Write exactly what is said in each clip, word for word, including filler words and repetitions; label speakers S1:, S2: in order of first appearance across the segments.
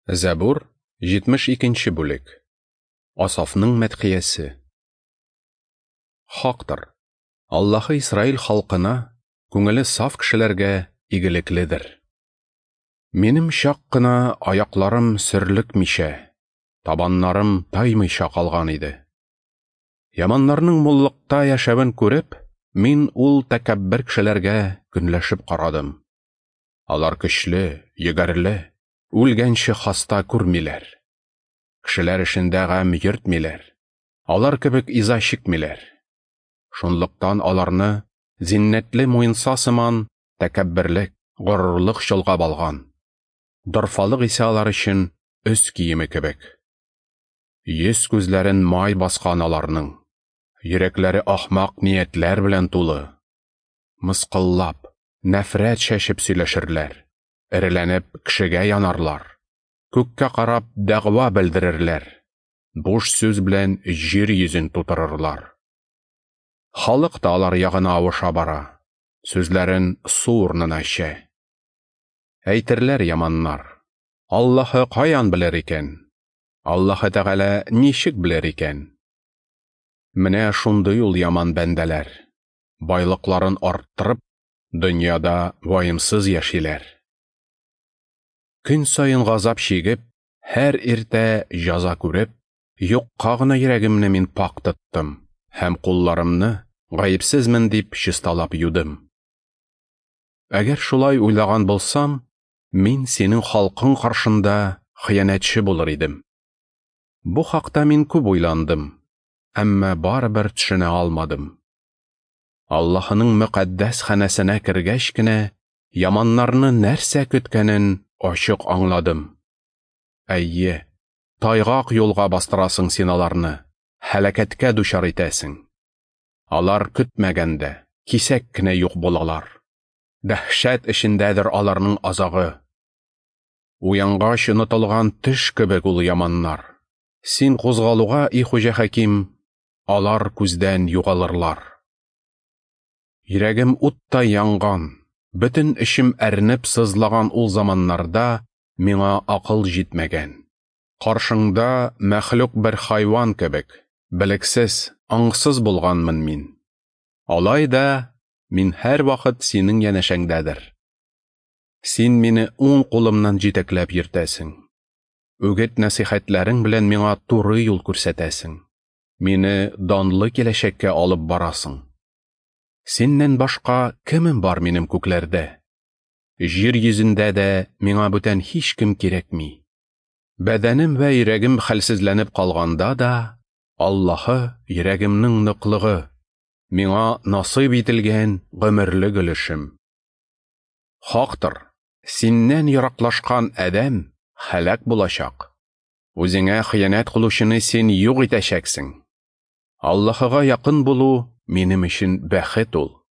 S1: Зәбур, җитмеш икенче бүлек. Асафның мәдхиясе. Хактыр, Аллаһы Исраил халкына, күңеле саф кешеләргә игелекледер. Минем чак кына аякларым сөрлекмичә, табаннарым таймыйча калган иде. Яманнарның муллыкта яшәвен күреп, мин ул тәкәббер кешеләргә көнләшеп карадым. Алар көчле, егәрле, үлгәнче хаста күрмиләр. Кешеләр эшендә гам йөртмиләр. Алар кебек иза чикмиләр. Шунлыктан аларны зиннәтле муенса сыман тәкәбберлек, горурлык чолгап алган. Дорфалык исә алар өчен өс киеме кебек. Йөз күзләрен май баскан аларның. Йөрәкләре ахмак ниятләр белән тулы. Мыскыллап, нәфрәт чәчеп сөйләшерләр. Эреләнеп кешегә янарлар. Күккә карап дәгъва белдерерләр. Буш сүз белән җир йөзен тутырырлар. Халык та алар ягына авыша бара. Сүзләрен су урынына эчә. Әйтерләр яманнар: Аллаһы каян белер икән? Аллаһы Тәгалә ничек белер икән? Менә шундый ул яман бәндәләр. Байлыкларын арттырып, дөньяда ваемсыз яшиләр. Көн саен газап чигеп, һәр иртә җәза күреп, юкка гына йөрәгемне мин пакь тоттым һәм кулларымны гаепсезмен дип чисталап юдым. Әгәр шулай уйлаган булсам, мин синең халкың каршында хыянәтче булыр идем. Бу хакта мин күп уйландым, әмма барыбер төшенә алмадым. Аллаһының мөкаддәс ханәсенә кергәч кенә яманнарны нәрсә көткәнен ачык аңладым. Әйе, тайгак юлга бастырасың син аларны, һәлакәткә дучар итәсең. Алар көтмәгәндә кисәк кенә юк булалар. Дәһшәт эчендәдер аларның азагы. Уянгач онытылган төш кебек ул яманнар. Син кузгалуга, и Хуҗа Хаким, алар күздән югалырлар. Йөрәгем утта янган, бөтен эчем әрнеп сызлаган ул заманнарда миңа акыл җитмәгән. Каршыңда мәхлук бер хайван кебек, белексез, аңсыз булганмын мин. Алай да мин һәрвакыт синең янәшәңдәдер. Син мине уң кулымнан җитәкләп йөртәсең. Үгет нәсихәтләрең белән миңа туры юл күрсәтәсең. Мине данлы киләчәккә алып барасың. Синнән башка кемем бар минем күкләрдә? Җир йөзендә дә миңа бүтән һичкем кирәкми. Бәдәнем вә йөрәгем хәлсезләнеп калганда да, Аллаһы йөрәгемнең ныклыгы, миңа насыйп ителгән гомерлек өлешем. Хактыр, синнән ераклашкан адәм һәлак булачак. Үзеңә хыянәт кылучыны син юк итәчәксең. Аллаһыга якын булу минем өчен бәхет ул.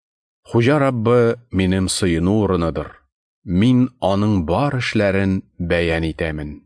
S1: Хуҗа Раббы минем сыену урыныдыр. Мин аның бар эшләрен бәян итәмен.